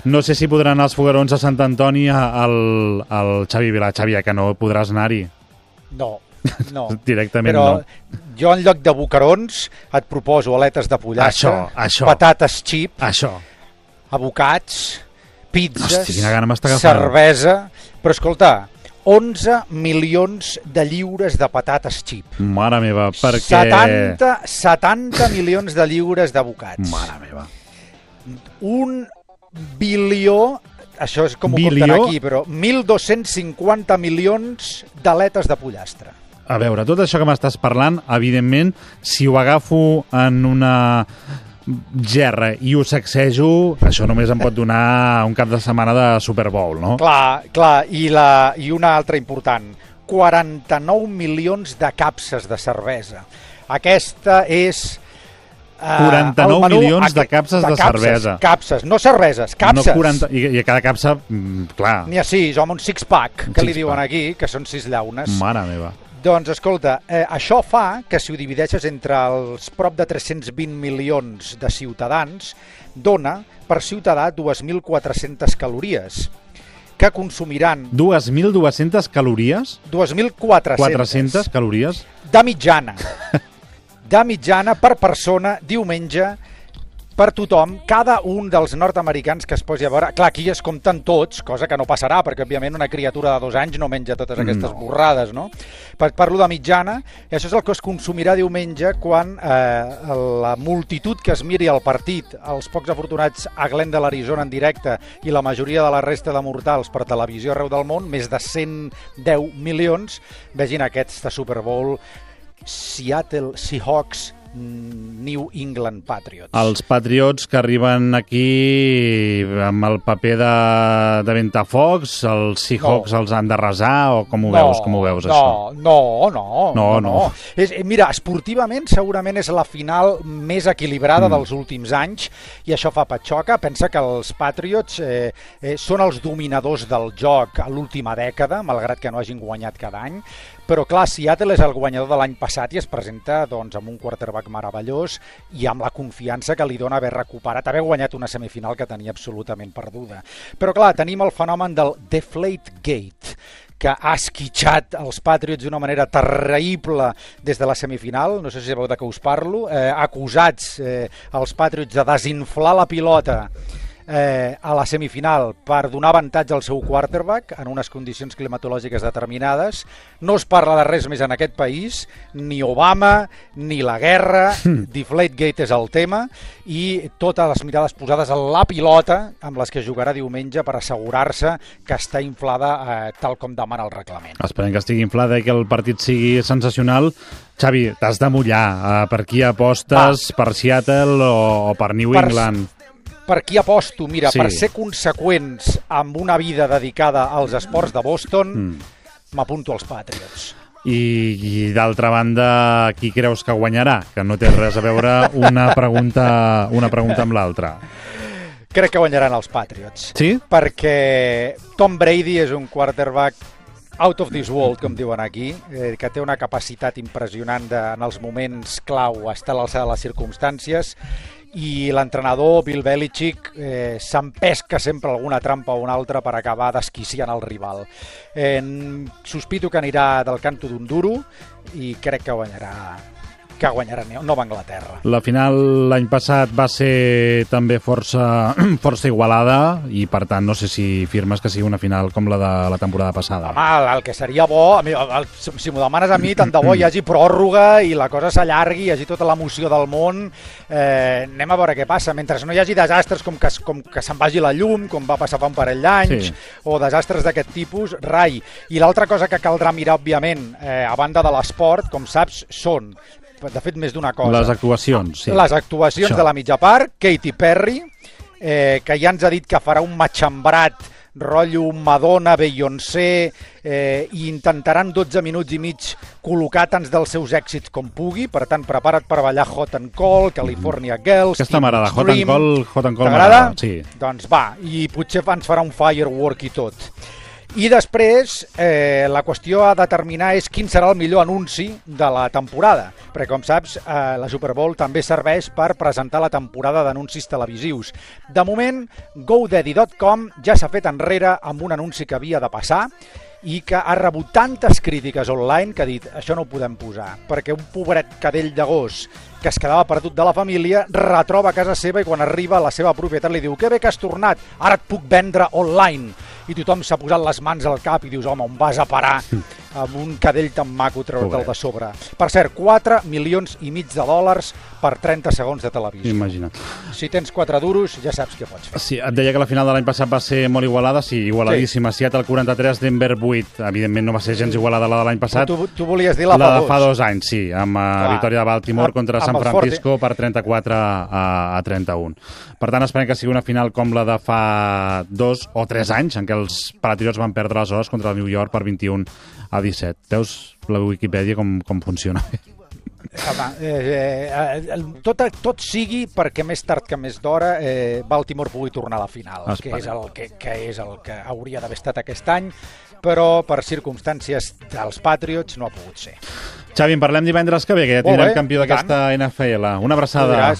No sé si podran anar als foguerons a Sant Antoni al Xavi Vilà. Xavi, que no podràs anar-hi. No. Directament però no. Jo en lloc de boquerons et proposo aletes de pollastre, patates xip, abocats, pizzas, cervesa, però escolta, 11 milions de lliures de patates xip. Mare meva, perquè... 70 milions de lliures d'abocats. Mare meva. 1 bilió... Això és com ho compten aquí, però 1.250 milions d'aletes de pollastre. A veure, tot això que m'estàs parlant, evidentment, si ho agafo en una gerra i ho sacsejo, això només em pot donar un cap de setmana de Super Bowl, no? Clar, i una altra important, 49 milions de capses de cervesa. Aquesta és... 49 milions de capses de cervesa. Capses, no cerveses, capses. No 40, I cada capsa, clar. N'hi ha 6, home, un six-pack, que li diuen aquí, que són 6 llaunes. Mare meva. Doncs, escolta, això fa que si ho divideixes entre els prop de 320 milions de ciutadans, dona per ciutadà 2.400 calories, que consumiran... 2.200 calories? 2.400. 400 calories? De mitjana. De mitjana per persona, diumenge, per tothom, cada un dels nord-americans que es posi a veure... Clar, aquí es compten tots, cosa que no passarà, perquè, òbviament, una criatura de 2 anys no menja totes aquestes borrades, no? Parlo de mitjana, i això és el que es consumirà diumenge quan la multitud que es miri el partit, els pocs afortunats a Glendale, Arizona, en directe, i la majoria de la resta de mortals per televisió arreu del món, més de 110 milions, vegin aquesta Super Bowl Seattle Seahawks New England Patriots. Els Patriots que arriben aquí amb el paper de ventafocs, els Seahawks els han d'arrasar, o com ho veus això? No. Mira, esportivament segurament és la final més equilibrada dels últims anys, i això fa patxoca. Pensa que els Patriots són els dominadors del joc a l'última dècada, malgrat que no hagin guanyat cada any. Però clar, Seattle és el guanyador de l'any passat i es presenta doncs, amb un quarterback meravellós i amb la confiança que li dona haver recuperat, haver guanyat una semifinal que tenia absolutament perduda. Però clar, tenim el fenomen del Deflategate, que ha esquitxat els Patriots d'una manera terrible des de la semifinal, no sé si sabeu de què us parlo, acusats els Patriots de desinflar la pilota a la semifinal per donar avantatge al seu quarterback en unes condicions climatològiques determinades. No es parla de res més en aquest país, ni Obama, ni la guerra, Deflategate és el tema, i totes les mirades posades a la pilota amb les que jugarà diumenge per assegurar-se que està inflada tal com demana el reglament. Esperem que estigui inflada i que el partit sigui sensacional. Xavi, t'has de mullar. Per qui apostes? Per Seattle o per New England? Per qui aposto? Mira, per ser conseqüents amb una vida dedicada als esports de Boston, m'apunto als Patriots. I d'altra banda, qui creus que guanyarà? Que no té res a veure una pregunta amb l'altra. Crec que guanyaran els Patriots. Sí? Perquè Tom Brady és un quarterback out of this world, com diuen aquí, que té una capacitat impressionant en els moments clau estar a l'alçada de les circumstàncies, i l'entrenador Bill Belichick s'empesca sempre alguna trampa o una altra per acabar desquiciant el rival. Sospito que anirà del canto d'un duro i crec que guanyarà Nova Anglaterra. La final l'any passat va ser també força igualada i, per tant, no sé si firmes que sigui una final com la de la temporada passada. Home, el que seria bo, si m'ho demanes a mi, tant de bo hi hagi pròrroga i la cosa s'allargui, hi hagi tota l'emoció del món. Anem a veure què passa. Mentre no hi hagi desastres com que se'n vagi la llum, com va passar fa un parell d'anys, o desastres d'aquest tipus, rai. I l'altra cosa que caldrà mirar, òbviament, a banda de l'esport, com saps, són... De fet, més d'una cosa. Les actuacions, sí. Les actuacions de la mitja part, Katy Perry, que ja ens ha dit que farà un matxembrat rotllo Madonna, Beyoncé, i intentaran 12 minuts i mig col·locar tants dels seus èxits com pugui. Per tant, prepara't per ballar Hot and Cold, California Girls, Aquesta m'agrada, Hot and Cold m'agrada? Sí. Doncs va, i potser ens farà un firework i tot. I després la qüestió a determinar és quin serà el millor anunci de la temporada, perquè com saps la Super Bowl també serveix per presentar la temporada d'anuncis televisius. De moment, GoDaddy.com ja s'ha fet enrere amb un anunci que havia de passar i que ha rebut tantes crítiques online que ha dit això no ho podem posar, perquè un pobret cadell de gos que es quedava perdut de la família retroba a casa seva i quan arriba la seva propietat li diu que bé que has tornat, ara et puc vendre online. I tothom s'ha posat les mans al cap i dius, home, on vas a parar amb un cadell tan maco treure'l de sobre. Per cert, 4,5 milions de dòlars per 30 segons de televisió. Imagina't. Si tens 4 duros, ja saps què pots fer. Sí, et deia que la final de l'any passat va ser molt igualada, sí, igualadíssima. Sí. Seattle 43, Denver 8. Evidentment no va ser gens igualada la de l'any passat. Tu volies dir la de fa 2 anys, sí, amb victòria de Baltimore contra San Francisco per 34 a 31. Per tant, esperem que sigui una final com la de fa 2 o 3 anys, en què els Patriots van perdre aleshores contra el New York per 21 a 17. Veus la Wikipedia com funciona? Home, tot sigui perquè més tard que més d'hora Baltimore pugui tornar a la final, que és el que hauria d'haver estat aquest any, però per circumstàncies dels Patriots no ha pogut ser. Xavi, en parlem divendres que ve, que ja tindrem campió d'aquesta NFL. Una abraçada.